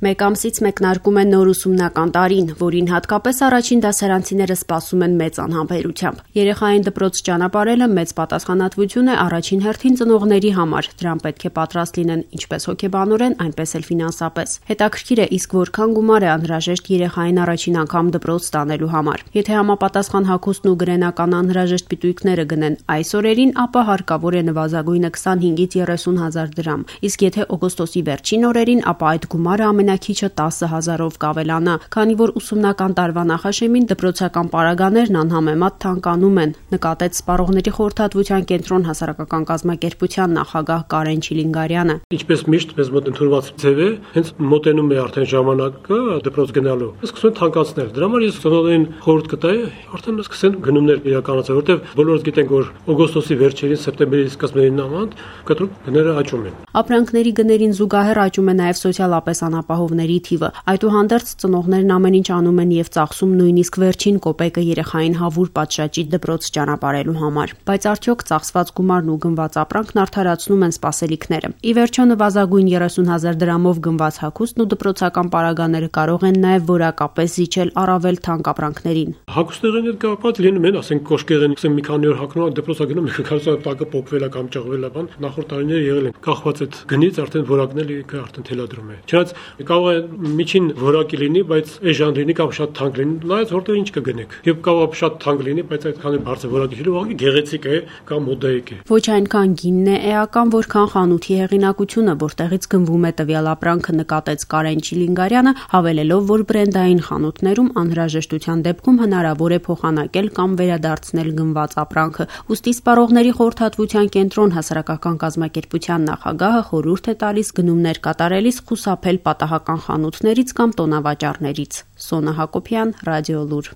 Մեկ ամսից մեկնարկում է նոր ուսումնական տարին, որին հատկապես առաջին դասարանցիները սպասում են մեծ անհամբերությամբ։ Երեխային դպրոց ճանապարհելը մեծ պատասխանատվություն է առաջին հերթին ծնողների համար։ Դրան պետք է պատրաստ լինեն ինչպես հոգեբանորեն, այնպես էլ ֆինանսապես։ Հետաքրքիր է, իսկ որքան գումար է անհրաժեշտ երեխային առաջին անգամ դպրոց տանելու համար։ Եթե համապատասխան հագուստն ու գրենական անհրաժեշտ պիտույքները գնեն այս օրերին, ապա հարկավոր է նվազագույնը 25-ից 30 հազար դրամ։ Իսկ եթե օգոստոսի վերջին օրերին, ապա այդ գումարը ամենակիչը 10,000-ով կավելանա, քանի որ ուսումնական տարվա նախաշեմին դպրոցական պարագաներն անհամեմատ թանկանում են, նկատեց Սպառողների խորհրդատվության կենտրոն հասարակական կազմակերպության նախագահ Կարեն Չիլինգարյանը։ Ինչպես միշտ մեզ մոտ ընդունված ձև է, հենց մոտենում է արդեն ժամանակը դպրոց գնալու։ Սկսում են թանկացնել։ Դրա համար ես ծնողներին խորհուրդ կտայի արդեն սկսեն գնումներ իրականացնել, որտեղ բոլորս գիտենք, որ օգոստոսի վերջերին, սեպտեմբերի սկզբին նման կտրուկ գները աճում են։ Ապրանքների գներին զուգահեռ աճում է նաև սոցիալապես անապահովների թիվը։ Այդուհանդերձ ծնողներն ամեն ինչ անում են եւ ծախսում նույնիսկ վերջին կոպեկը երեխային հավուր պատշաճի դպրոց ճանապարհելու համար։ Բայց արդյոք ծախսված գումարն ու գնված ապրանքն արդարացնում են սպասելիքները։ Ի վերջո նվազագույն 30,000 դրամով գնված հագուստն ու դպրոցական պարագաները կարող են նաև որակապես զիջել առավել թանկ ապրանքներին։ Հագուստների հետ կապված լինում են, ասենք կոշկեղեն, ասենք մի քանի օր հագնում, դպրոցագնում կարծում տակը փոկվել է կամ ճղվել է բան, նախորդ տարիներ եղել են։ Կախված այդ գնից արդեն որակն էլ արդեն թելադրում է։ Չնայած կարող է միջին որակի լինի, բայց էժան լինի կամ շատ թանկ լինի, նայած որտեղ ինչ կգնեք։ Եվ կարող է շատ թանկ լինի, բայց այդքան բարձր որակի լինի, ուղղակի գեղեցիկ է կամ մոդայիկ է։ Ոչ այնքան գինն է էական, որքան խանութի հեղինակությունը, որտեղից գնվում է տվյալ ապրանքը, նկատեց Կարեն Չիլինգարյանը, հավելելով, որ բրենդային խանութներում անհրաժեշտության դեպքում հնարավոր է փոխանակել կամ վերադարձնել գնված ապրանքը։ Ուստի Սպառողների խորհրդատվության կենտրոն հասարակական կազմակերպության նախագահը խորհուրդ է տալիս գնումներ կատարելիս խուսափել պատահական խանութներից կամ տոնավաճառներից։ Սոնա Հակոբյան, Ռադիոլուր։